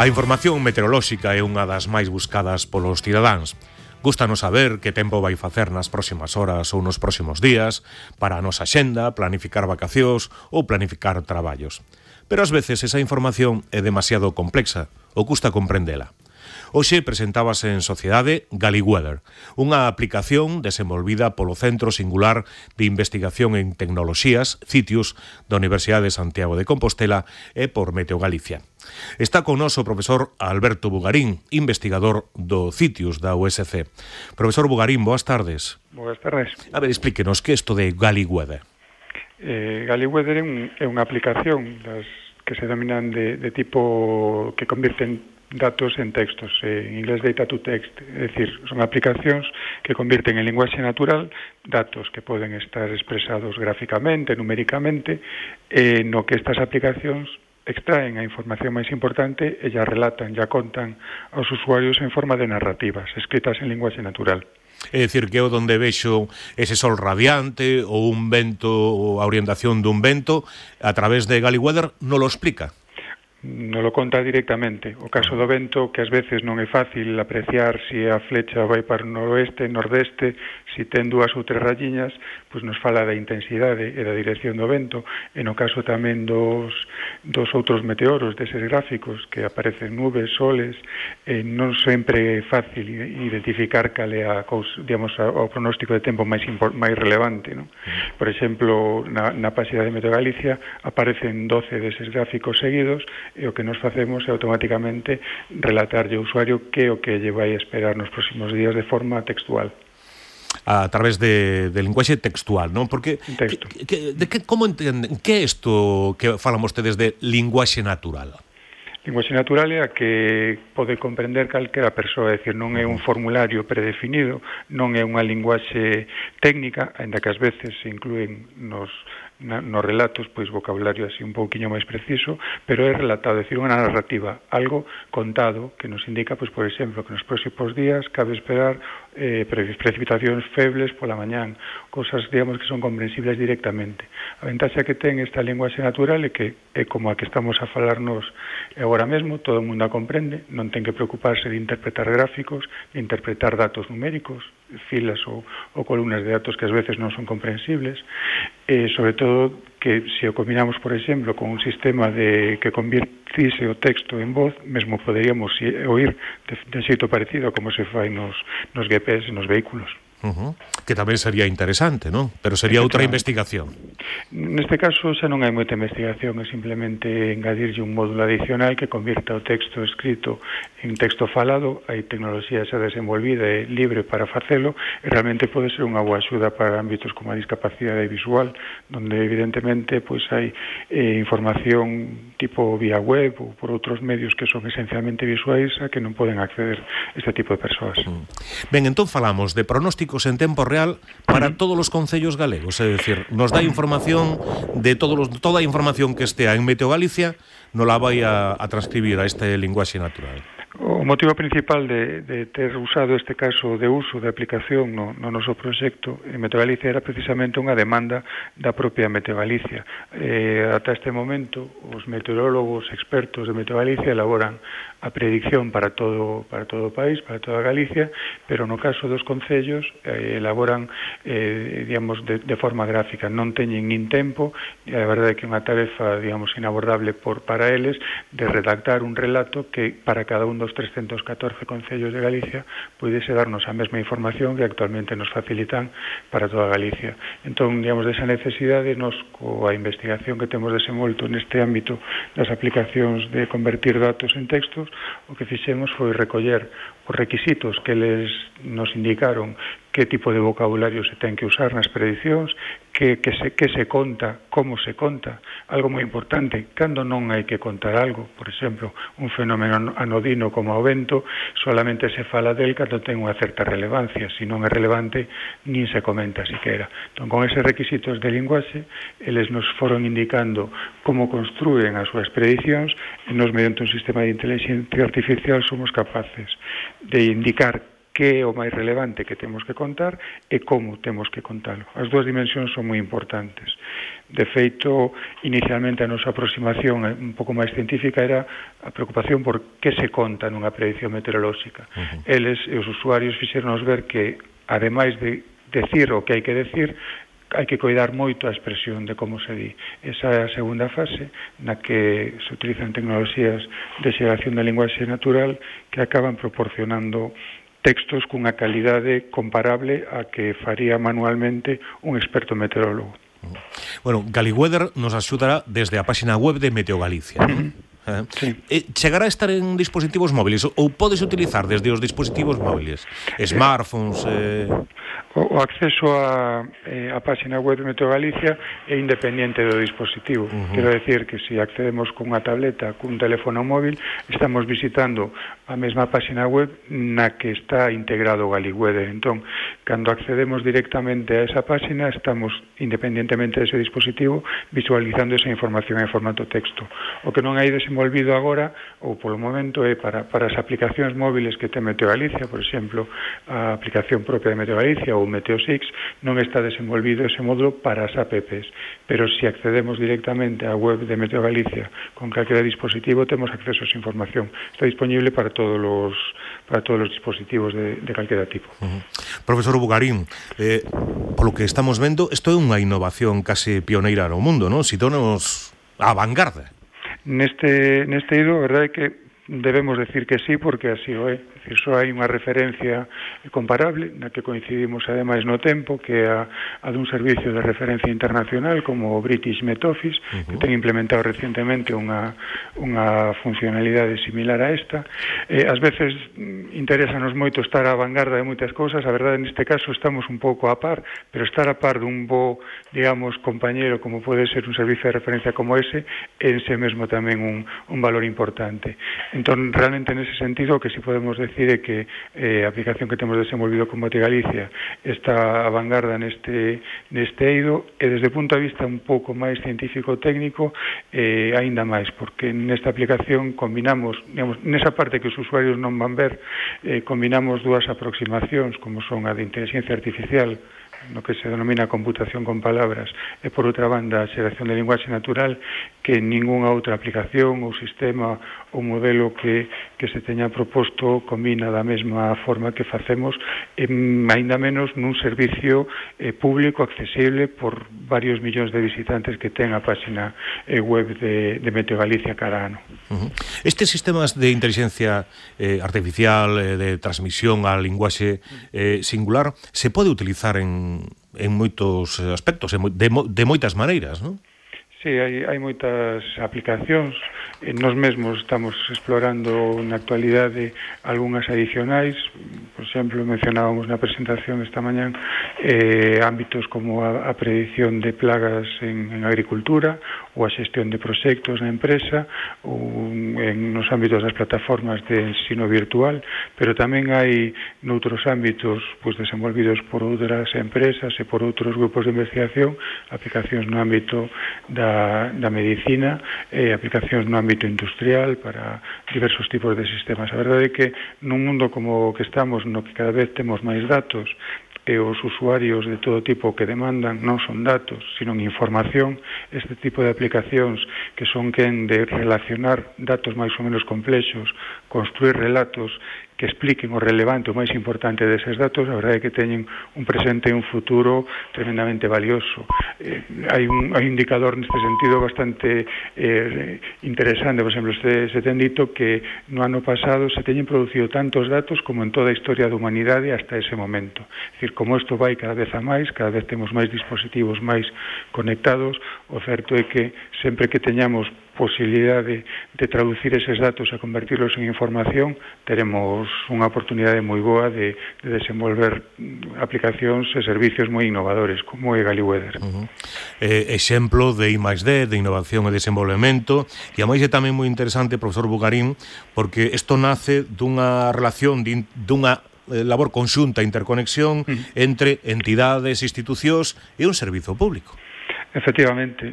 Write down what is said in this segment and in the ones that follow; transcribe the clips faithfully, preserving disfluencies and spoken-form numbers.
A información meteorolóxica é unha das máis buscadas polos cidadáns. Gústanos saber que tempo vai facer nas próximas horas ou nos próximos días para a nosa xenda, planificar vacacións ou planificar traballos. Pero ás veces esa información é demasiado complexa ou custa comprendela. Hoxe presentábase en sociedade GalliWeather, unha aplicación desenvolvida polo Centro Singular de Investigación en Tecnoloxías, CITIUS, da Universidade de Santiago de Compostela e por Meteo Galicia. Está con nos o profesor Alberto Bugarín, investigador do CITIUS da U S C. Profesor Bugarín, boas tardes. Boas tardes. A ver, explíquenos, que é isto de GalliWeather? Eh, GalliWeather é, un, é unha aplicación das que se denominan de, de tipo que convirten datos en textos, eh, en inglés data to text, é dicir, son aplicacións que convirten en linguaxe natural datos que poden estar expresados gráficamente, numéricamente, eh, no que estas aplicacións extraen a información máis importante e ya relatan, ya contan aos usuarios en forma de narrativas, escritas en linguaxe natural. É dicir, que eu donde vexo ese sol radiante ou un vento, ou a orientación dun vento, a través de GalliWeather non lo explica? Non lo conta directamente. O caso do vento, que ás veces non é fácil apreciar se a flecha vai para o noroeste, nordeste, se ten dúas ou tres rayiñas, pois nos fala da intensidade e da dirección do vento, e no caso tamén dos, dos outros meteoros, deses gráficos, que aparecen nubes, soles, eh, non sempre é fácil identificar cal é a cousa, digamos, o pronóstico de tempo máis, máis relevante, non? Por exemplo, na, na páxina de Meteo Galicia aparecen doce deses gráficos seguidos, e o que nos facemos é automáticamente relatarlle ao usuario que o que lle vai esperar nos próximos días de forma textual. A través de, de linguaxe textual, non? Porque Texto. Que, que, de que, como entenden, que é isto que falan vostedes de linguaxe natural? Linguaxe natural é a que pode comprender calquera persoa, é dicir, non é un formulario predefinido, non é unha linguaxe técnica, aínda que ás veces se inclúen nos Na, nos relatos, pois vocabulario así un pouquiño máis preciso, pero é relatado, é dicir, unha narrativa, algo contado que nos indica, pois, por exemplo, que nos próximos días cabe esperar eh, precipitacións febles pola mañán, cosas, digamos, que son comprensibles directamente. A ventaxa que ten esta linguaxe natural é que é como a que estamos a falarnos agora mesmo, todo o mundo a comprende, non ten que preocuparse de interpretar gráficos, de interpretar datos numéricos, filas ou, ou columnas de datos que ás veces non son comprensibles, e sobre todo que se o combinamos, por exemplo, con un sistema de que convirtise o texto en voz, mesmo poderíamos oír de, de xeito parecido a como se fai nos, nos G P S, nos vehículos. Uh-huh. Que tamén sería interesante, non? Pero sería outra investigación. Neste caso xa non hai moita investigación, é simplemente engadirlle un módulo adicional que convirta o texto escrito en texto falado. Hai tecnoloxía xa desenvolvida e libre para facelo, e realmente pode ser unha boa axuda para ámbitos como a discapacidade visual, donde evidentemente pois hai eh, información tipo vía web ou por outros medios que son esencialmente visuais a que non poden acceder este tipo de persoas. Uh-huh. Ben, entón falamos de pronósticos en tempo real para todos os concellos galegos, é dicir, nos dá información de todos los, toda a información que estea en Meteo Galicia, non la vai a, a transcribir a este linguaxe natural. O motivo principal de, de ter usado este caso de uso de aplicación no, no noso proxecto en Meteo Galicia era precisamente unha demanda da propia Meteo Galicia. Eh, ata este momento, os meteorólogos expertos de Meteo Galicia elaboran a predicción para todo para todo o país, para toda Galicia, pero no caso dos concellos eh, elaboran eh, digamos de, de forma gráfica, non teñen nin tempo, e a verdade é que é unha tarefa, digamos, inabordable por para eles de redactar un relato que para cada un dos trescentos catorce concellos de Galicia puidese darnos a mesma información que actualmente nos facilitan para toda Galicia. Entón, digamos, desa necesidade, nos, coa investigación que temos desenvolto neste ámbito das aplicacións de convertir datos en textos, o que fixemos foi recoller os requisitos que eles nos indicaron, que tipo de vocabulario se ten que usar nas predicións, que, que, se, que se conta, como se conta. Algo moi importante, cando non hai que contar algo, por exemplo, un fenómeno anodino como o vento, solamente se fala del cando ten unha certa relevancia, se non é relevante, nin se comenta siquera. Entón, con eses requisitos de linguaxe, eles nos foron indicando como construen as súas predicións, e nos, mediante un sistema de inteligencia artificial, somos capaces de indicar que é o máis relevante que temos que contar e como temos que contalo. As dúas dimensións son moi importantes. De feito, inicialmente a nosa aproximación un pouco máis científica era a preocupación por que se conta nunha predicción meteorolóxica. Uh-huh. Eles e os usuarios fixeronos ver que, ademais de decir o que hai que decir, hai que coidar moito a expresión de como se di. Esa é a segunda fase na que se utilizan tecnoloxías de xeración da linguaxe natural que acaban proporcionando textos cunha calidade comparable a que faría manualmente un experto meteorólogo. Bueno, Galiweather nos axudará desde a páxina web de Meteo Galicia, non? Uh-huh. Eh? Sí. Eh, chegará a estar en dispositivos móviles ou podes utilizar desde os dispositivos móviles, smartphones? Eh... O, o acceso a, eh, a páxina web de Meteo Galicia é independente do dispositivo. Uh-huh. Quero decir que se accedemos cunha tableta, cun teléfono móvil, estamos visitando a mesma páxina web na que está integrado o Galiweather. Entón, cando accedemos directamente a esa páxina, estamos, independentemente dese dispositivo, visualizando esa información en formato texto. O que non hai desenvolvido agora, ou polo momento, é para, para as aplicacións móviles que ten Meteo Galicia, por exemplo, a aplicación propia de Meteo Galicia ou Meteo Six, non está desenvolvido ese módulo para as apps, pero se accedemos directamente á web de Meteo Galicia con calquera dispositivo, temos acceso a esa información. Está disponible para todos os para todos os dispositivos de, de calquera tipo. Uh-huh. Profesor Bugarín, eh, polo que estamos vendo, isto é unha innovación case pioneira no mundo, non? Situamos á vanguarda. Neste, neste ido, a verdade é que debemos decir que sí, porque así o é. É dicir, só hai unha referencia comparable na que coincidimos ademais no tempo, que é a, a dun servicio de referencia internacional como o British Met Office, uh-huh. que ten implementado recientemente unha, unha funcionalidade similar a esta. Eh, ás veces interesanos moito estar á vanguarda de moitas cousas, a verdade neste caso estamos un pouco a par, pero estar a par dun bo, digamos, compañero como pode ser un servicio de referencia como ese, en sí mesmo tamén un, un valor importante. Entón, realmente nese sentido, o que si podemos decir é que eh, a aplicación que temos desenvolvido con Meteo Galicia está a vanguarda neste, neste eido, e desde o punto de vista un pouco máis científico-técnico, eh, aínda máis, porque nesta aplicación combinamos, digamos, nesa parte que os usuarios non van ver, eh, combinamos dúas aproximacións, como son a de inteligencia artificial, no que se denomina computación con palabras, e por outra banda a xeración de linguaxe natural, que ningunha outra aplicación ou sistema ou modelo que, que se teña proposto combina da mesma forma que facemos, e aínda menos nun servicio eh, público accesible por varios millóns de visitantes que ten a páxina eh, web de, de Meteo Galicia cada ano. Uh-huh. Estes sistemas de inteligencia eh, artificial, eh, de transmisión á linguaxe eh, singular, se pode utilizar en en moitos aspectos, de, de moitas maneiras, non? Sí, hai, hai moitas aplicacións. Nos mesmos estamos explorando na actualidade algunhas adicionais. Por exemplo, mencionábamos na presentación esta mañán eh, ámbitos como a, a predicción de plagas en, en agricultura, ou a xestión de proxectos na empresa, ou en nos ámbitos das plataformas de ensino virtual, pero tamén hai noutros ámbitos pues, desenvolvidos por outras empresas e por outros grupos de investigación, aplicacións no ámbito da, da medicina, e aplicacións no ámbito industrial para diversos tipos de sistemas. A verdade é que nun mundo como o que estamos, no que cada vez temos máis datos, e os usuarios de todo tipo que demandan non son datos, sino información, este tipo de aplicacións que son quen de relacionar datos máis ou menos complexos, construir relatos que expliquen o relevante, o máis importante deses datos, a verdade é que teñen un presente e un futuro tremendamente valioso. Eh, hai, un, hai un indicador neste sentido bastante eh, interesante. Por exemplo, se, se ten dito que no ano pasado se teñen producido tantos datos como en toda a historia da humanidade hasta ese momento. É dicir, como isto vai cada vez a máis, cada vez temos máis dispositivos máis conectados, o certo é que sempre que teñamos posibilidade de traducir eses datos e convertirlos en información, teremos unha oportunidade moi boa de, de desenvolver aplicacións e servicios moi innovadores, como é Galiweather. Uh-huh. Eh, exemplo de I máis D, de innovación e desenvolvemento, e a máis é tamén moi interesante, profesor Bugarín, porque isto nace dunha relación, de, dunha labor conxunta, interconexión uh-huh. entre entidades, institucións e un servizo público. Efectivamente,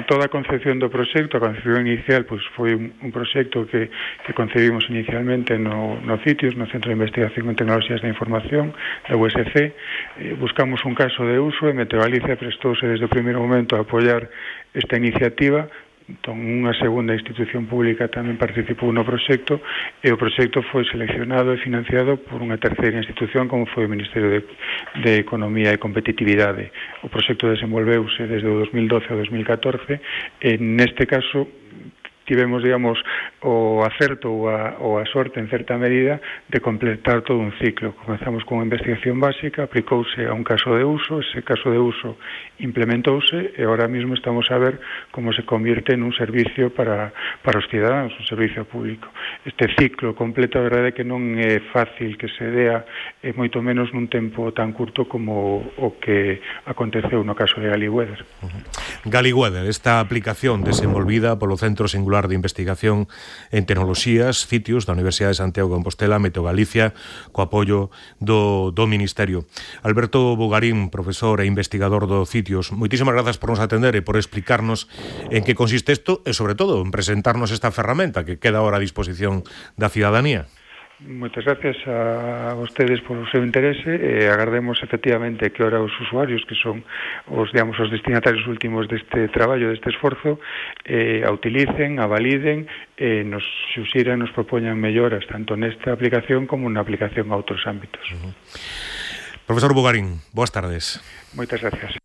toda a concepción do proxecto, a concepción inicial, pois foi un, un proxecto que, que concebimos inicialmente no, no CITIOS, no Centro de Investigación en Tecnoloxías da Información, da U S C. Eh, buscamos un caso de uso e Meteo Galicia prestouse desde o primeiro momento a apoiar esta iniciativa. Entón, unha segunda institución pública tamén participou no proxecto e o proxecto foi seleccionado e financiado por unha terceira institución como foi o Ministerio de, de Economía e Competitividade. O proxecto desenvolveuse desde o dos mil doce ao dos mil catorce e neste caso tivemos, digamos, o acerto ou a, ou a sorte, en certa medida, de completar todo un ciclo. Comenzamos con unha investigación básica, aplicouse a un caso de uso, ese caso de uso implementouse e ahora mismo estamos a ver como se convierte en un servicio para, para os cidadáns, un servicio público. Este ciclo completo, a verdade é que non é fácil que se dea, e moito menos nun tempo tan curto como o que aconteceu no caso de Galiweather. Uh-huh. Galiweather, esta aplicación desenvolvida polo Centro Singular de Investigación en Tecnoloxías, CITIOS, da Universidade de Santiago de Compostela, Meteo Galicia, co apoio do, do Ministerio. Alberto Bugarín, profesor e investigador do CITIOS, moitísimas grazas por nos atender e por explicarnos en que consiste isto e, sobre todo, en presentarnos esta ferramenta que queda ahora a disposición da cidadanía. Moitas gracias a vostedes por o seu interese e agardemos efectivamente que ora os usuarios, que son os, digamos, os destinatarios últimos deste traballo, deste esforzo, eh, a utilicen, a validen e nos xuxiran, nos propoñan melloras tanto nesta aplicación como na aplicación a outros ámbitos. Uh-huh. Profesor Bugarín, boas tardes. Moitas gracias.